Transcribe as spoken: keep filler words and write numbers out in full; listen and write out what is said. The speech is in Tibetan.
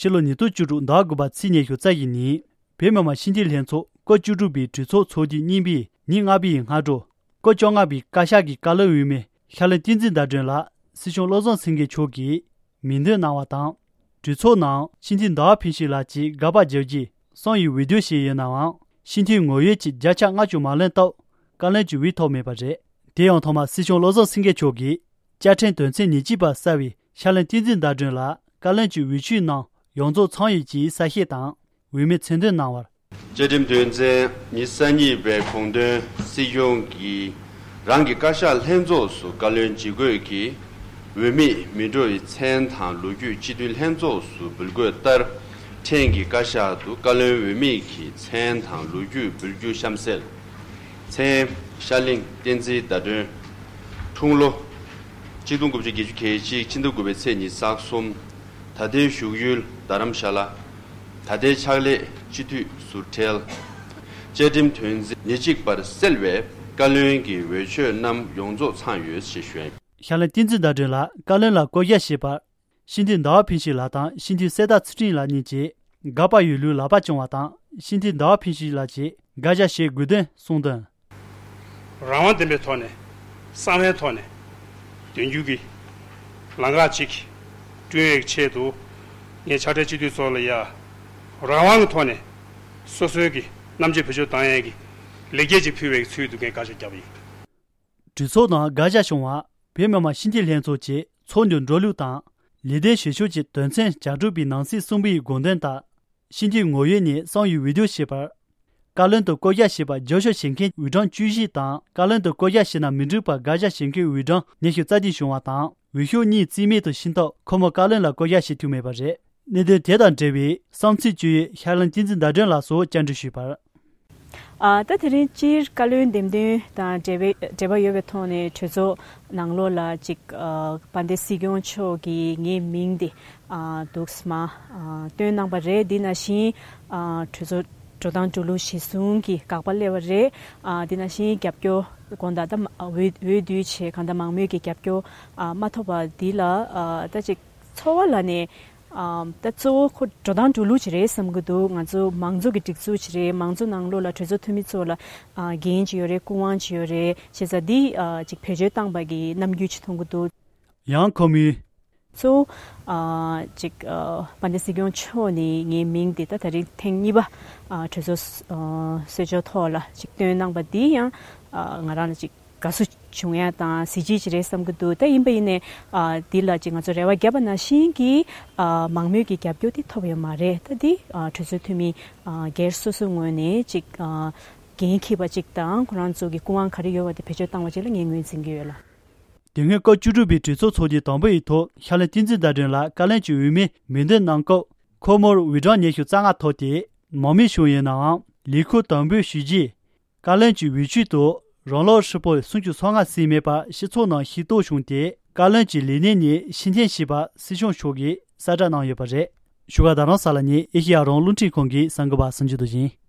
ཕྱི་ལོ་ཉིས་སྟོང་བཅུ་དྲུག་ཟླ་དགུ་པ་ཚེས་ཉི་ཤུ་རྩ་བཞི་ཉིན། བོད་མི་མང་སྤྱི་འཐུས་ལྷན་ཚོགས་སྐབས་བཅུ་དྲུག་པའི་གྲོས་ཚོགས་ཚོགས་དུས་གཉིས་པའི་ཉིན་ལྔ་པའི་སྔ་དྲོ། སྐབས་བཅོ་ལྔ་པའི་བཀའ་ཤག་གི་བཀའ་བློན་འོས་མི་ཤར་གླིང་བསྟན་འཛིན་ཟླ་སྒྲོན་ལགས་སྲིད་སྐྱོང་བློ་བཟང་སེང་གེ་མཆོག་གིས་མིང་འདོན་གནང་བ་དང་། གྲོས་ཚོགས་ནང་སྤྱི་འཐུས་ཟླ་བ་ཕུན་ཚོགས་ལགས་ཀྱིས་དགག་པ་བརྒྱབ་རྗེས་གསང་བའི་འོས་བསྡུ་ཞིག་ཡིན་ནའང་། སྤྱི་འཐུས་ངོ་ཡོད་ཀྱི་བརྒྱ་ཆ་ལྔ་བཅུ་མ་ལོན་སྟབས། བཀའ་བློན་གྱི་འོས་ཐོབ་མེད་པ་རེད། དེ་ཡང་ཐོག་མར་སྲིད་སྐྱོང་བློ་བཟང་སེང་གེ་མཆོག་གིས་བཅའ་ཁྲིམས་དོན་ཚན་ཉེར་གཅིག་པ་གསར་བའི་ཤར་གླིང་བསྟན་འཛིན་ཟླ་སྒྲོན་ལགས་བཀའ་བློན་གྱི་འོས་ཆོས་ནང་ཡོངས་རྫོགས་ཚང་ཡོད་ཅེས་གསལ་བཤད་དང་། འོས་མི་མཚན་འདོན་གནང་བར། བཅའ་ཁྲིམས་དོན་ཚན་ཉི་ཤུ་རྩ་གཉིས་པའི་དགོངས་དོན། སྲིད་སྐྱོང་གིས་རང་གི་བཀའ་ཤག་ལྷན་ཚོགས་སུ་བཀའ་བློན་ཇི་དགོས་ཀྱི་འོས་མི་མི་འགྲོ་བའི་མཚན་དང་ལོ་རྒྱུས་སྤྱི་འཐུས་ལྷན་ཚོགས་སུ་འབུལ་དགོས་ལྟར། ཕྲན་གྱི་བཀའ་ཤག་ཏུ་བཀའ་བློན་འོས་མི་གི་མཚན་དང་ལོ་རྒྱུས་འབུལ་རྒྱུ་གཤམ་གསལ། མཚན། ཤར་གླིང་བསྟན་འཛིན་ཟླ་སྒྲོན། འཁྲུངས་ལོ། ཆིག་སྟོང་དགུ་བརྒྱ་བརྒྱད་ཅུ་གྱ་གཅིག་ཕྱི་ཟླ་དགུ་པའི་ཚེས་ཉི་ཤུ་རྩ་གསུམ། ད་ལྟའི་བཞུགས་ཡུལ་རྡ་རམ་ཤ་ལ། ད་ལྟའི་ཕྱག་ལས་སྤྱི་འཐུས་ཟུར་ཁྲལ། བཅའ་ཁྲིམས་དོན་ཚན་ཉེར་གཅིག་པར་གསལ་བའི་བཀའ་བློན་གྱི་འོས་ཆོས་རྣམས་ཡོངས་རྫོགས་ཚང་ཡོད་ཅེས་ཞུས། ཤར་གླིང་བསྟན་འཛིན་ཟླ་སྒྲོན་ལགས་བཀའ་བློན་ལ་བསྐོ་གཞག་བྱས་པར། སྤྱི་འཐུས་ཟླ་བ་ཕུན་ཚོགས་ལགས་དང་སྤྱི་འཐུས་གསེར་རྟ་ཚུལ་ཁྲིམས་ལགས་གཉིས་ཀྱིས་དགག་པ་ཡོད་ལུགས་ལག་པ་བརྐྱངས་པ་དང་། སྤྱི་འཐུས་ཟླ་བ་ཕུན་ཚོགས་ལགས་ཀྱིས་དགག་བཞག་བྱེད་དགོས་དོན་གསུངས་དོན། རང་དབང་ལྡན་པའི་ཐོག་ནས་གསང་བའི་ཐོག་ནས་འདོན་རྒྱུ་གི་ལམ་ཁ་ཅིག་བསྐྲུན་ཡས་ཆེད་དུ། ངས་ཕྱག་སྦྲེལ་སྤྱི་འཐུས་ཚོ་ལ་ཡ་རང་དབང་གི་ཐོག་ནས་སོ་སོའི་གི་རྣམ་དཔྱོད་བེད་སྤྱོད་བཏང་ཡས་ཀྱི་ལེགས་སྐྱེས་ཅིག་ཕུལ་བའི་ཚུལ་དུ་ངས་བཀའ་ཤག་བརྒྱབ་པ་ཡིན། གྲོས་ཚོགས་ནང་དགག་བཞག་བྱུང་བ། བོད་མི་མང་སྤྱི་འཐུས་ལྷན་ཚོགས་ཀྱི་ཚོགས་འདུ་འགྲོ་ལུགས་དང་། ལས་དོན་བྱེད་ཕྱོགས་ཀྱི་དོན་ཚན་བརྒྱ་དྲུག་པའི་ནང་གསེས་གསུམ་པའི་དགོངས་དོན་ལྟར། སྤྱི་འཐུས་ངོ་ཡོད་ནས་གསང་བའི་འོས་བསྡུ་བྱས་པར། བཀའ་བློན་དུ་བསྐོ་གཞག་བྱས་པ་བསྐྱར་ཞིབ་བྱེད་མཁན་འོས་གྲངས་བཅུ་བཞི་དང་། བཀའ་བློན་དུ་བསྐོ་གཞག་བྱས་ན་མི་འགྲིག་པར་དགག་བཞག་བྱེད་མཁན་འོས་གྲངས་ཉི་ཤུ་རྩ་བདུན་བྱུང་བ་དང་། འོས་ཤོག་གཉིས་རྩིས་མེད་དུ་ཕྱིན་སྟབས། ཁོ་མོ་བཀའ་བློན་ལ་བསྐོ་གཞག་བྱེད་ཐུབ་མེད་པ་རེད། གནད་དོན་དེ་དང་འབྲེལ་བའི་བསམ་ཚུལ་བཅོས་ཡིག་ཤར་གླིང་བསྟན་འཛིན་ཟླ་སྒྲོན་ལགས་སུ་བཅར་འདྲི་ཞུས་པར། ཨ། ད་དེ་རིང་སྤྱིར་བཀའ་བློན་འདེམས་ཐོན་དང་འབྲེལ་བའི་འབྲེལ་བ་ཡོད་པའི་ཐོག་ནས་གྲོས་ཚོགས་ནང་ལོགས་ལ་ཅིག་ཨ། དཔལ་ལྡན་སྲིད་སྐྱོང་མཆོག་གིས་ངའི་མིང་དེ། ཨ། འདུག་སེ་མར། ཨ། བཏོན་གནང་བ་རེད། འདི་ནང་བཞིན། ཨ། གྲོས་ཚོགས་འགྲོ་སྟངས་འགྲོ་ལུགས་གཞིར་བཟུང་གིས་དགག་པ་སླེབས་པ་རེད། ཨ། འདི་ནང་བཞིན་རྒྱབ་སྐྱོར་དགོངས་དག་ད་མ་འོས་འོས་བསྡུ་བྱས་གང་ལྟར་མང་མོས་ཀྱི་རྒྱབ་སྐྱོར། ཨ། མ་ཐོབ་པ་འདི་ལ། ཨ། ད་ཅིག་ཚོར་བ་ལ་ནས། ཨ། ད་གཙོ་བོ་ཁོ་འགྲོ་སྟངས་འགྲོ་ལུགས་ཅིག་རེད་བསམ་གྱི་འདུག་ང་ཚོ་མང་གཙོ་གི་སྒྲིག་འཛུགས་ཅིག་རེད། མང་གཙོ་ནང་ལོགས་ལ་གྲོས་ཚོགས་འཐུས་མི་ཚོ་ལ། ཨ། འགན་ཅིག་ཡོད་རེད། སྐུ་དབང་ཅིག་ཡོད་རེད། བྱས་ཙང་འདི། ཨ། ཅིག་བེད་སྤྱོད་བཏང་པ་གི་རྣམ་འགྱུར་ཅིག་མཐོང་གི་འདུག་ཡང་ཁོ་མོས། གཙོ་བོ། ཨ། ཅིག་ཨ། དཔལ་ལྡན་སྲིད་སྐྱོང་མཆོག་ནས་ངའི་མིང་དེ་ད་ད་རིང་ཐེངས་གཉིས་པ། ཨ། གྲོས་ཚོགས། ཨ། གསོལ་ལྕོག་ཐོག་ལ་ཅིག་བཏོན་གནང་པ་འདི་ཡང་། ཨ། ང་རང་ལ་ཅིག་དགའ་བསུ་བྱུང་ཡ་དང་གཟི་བརྗིད་ཅིག་རེད་བསམ་གྱི་འདུག་ད་ཡིན་པ་ཡིན་ནའི། ཨ། འདི་ལ་ཅིག་ང་ཚོ་རེ་བ་བརྒྱབ་པ་ནང་བཞིན་གྱི། ཨ། མང་མོས་ཀྱི་རྒྱབ་སྐྱོར་དེ་ཐོབ་ཡོད་མ་རེད། ད་འདི། ཨ། གྲོས་ཚོགས་འཐུས་མི། ཨ། སྒེར་སོ་སོའི་ངོས་ནས་ཅིག་ཨ། འགན་འཁྱེར་བ་ཅིག་དང་ཁོ་རང་ཚོ་གི་སྐུ་དབང་ག་རེ་ཡོད་པ་དེ་བེད་སྤྱོད་བཏང་བ་ཅིག་ལ་ངས་ངོས་འཛིན་གྱི་ཡོད་ལ། དེ་སྔོན་སྐབས་བཅུ་དྲུག་པའི་གྲོས་ཚོགས་ཚོགས་དུས་དང་པོ་ཡི་ཐོག་ཤར་གླིང་བསྟན་འཛིན་ཟླ་སྒྲོན་ལགས་བཀའ་བློན་གྱི་འོས་མི་མིང་འདོན་གནང་སྐབས། ཁོ་མོར་འོས་གྲངས་ཉི་ཤུ་རྩ་ལྔ་ཐོབ་སྟེ། མང་མོས་བྱུང་ཡོད་ནའང་། ལས་ཁུར་དམ་འབུལ་ཞུས་རྗེས། བཀའ་བློན་གྱི་འོས་ཆོས་དུ་རང་ལོ་ཧྲིལ་པོ་སུམ་ཅུ་སོ་ལྔ་ཟིན་མེད་པ་སྤྱི་ཚོགས་ནང་ཤེས་རྟོགས་བྱུང་སྟེ། བཀའ་བློན་གྱི་ལས་གནས་ནས་ཕྱིར་འཐེན་བྱས་པ་སྲིད་སྐྱོང་མཆོག་གིས་གསལ་བསྒྲགས་གནང་ཡོད་པ་རེད། བཞུགས་སྒར་རྡ་རམ་ས་ལ་ནས་ཨེ་ཤེ་ཡ་རང་དབང་རླུང་འཕྲིན་ཁང་གི་གསར་འགོད་པ་སངས་རྒྱས་རྡོ་རྗེ་ཡིན།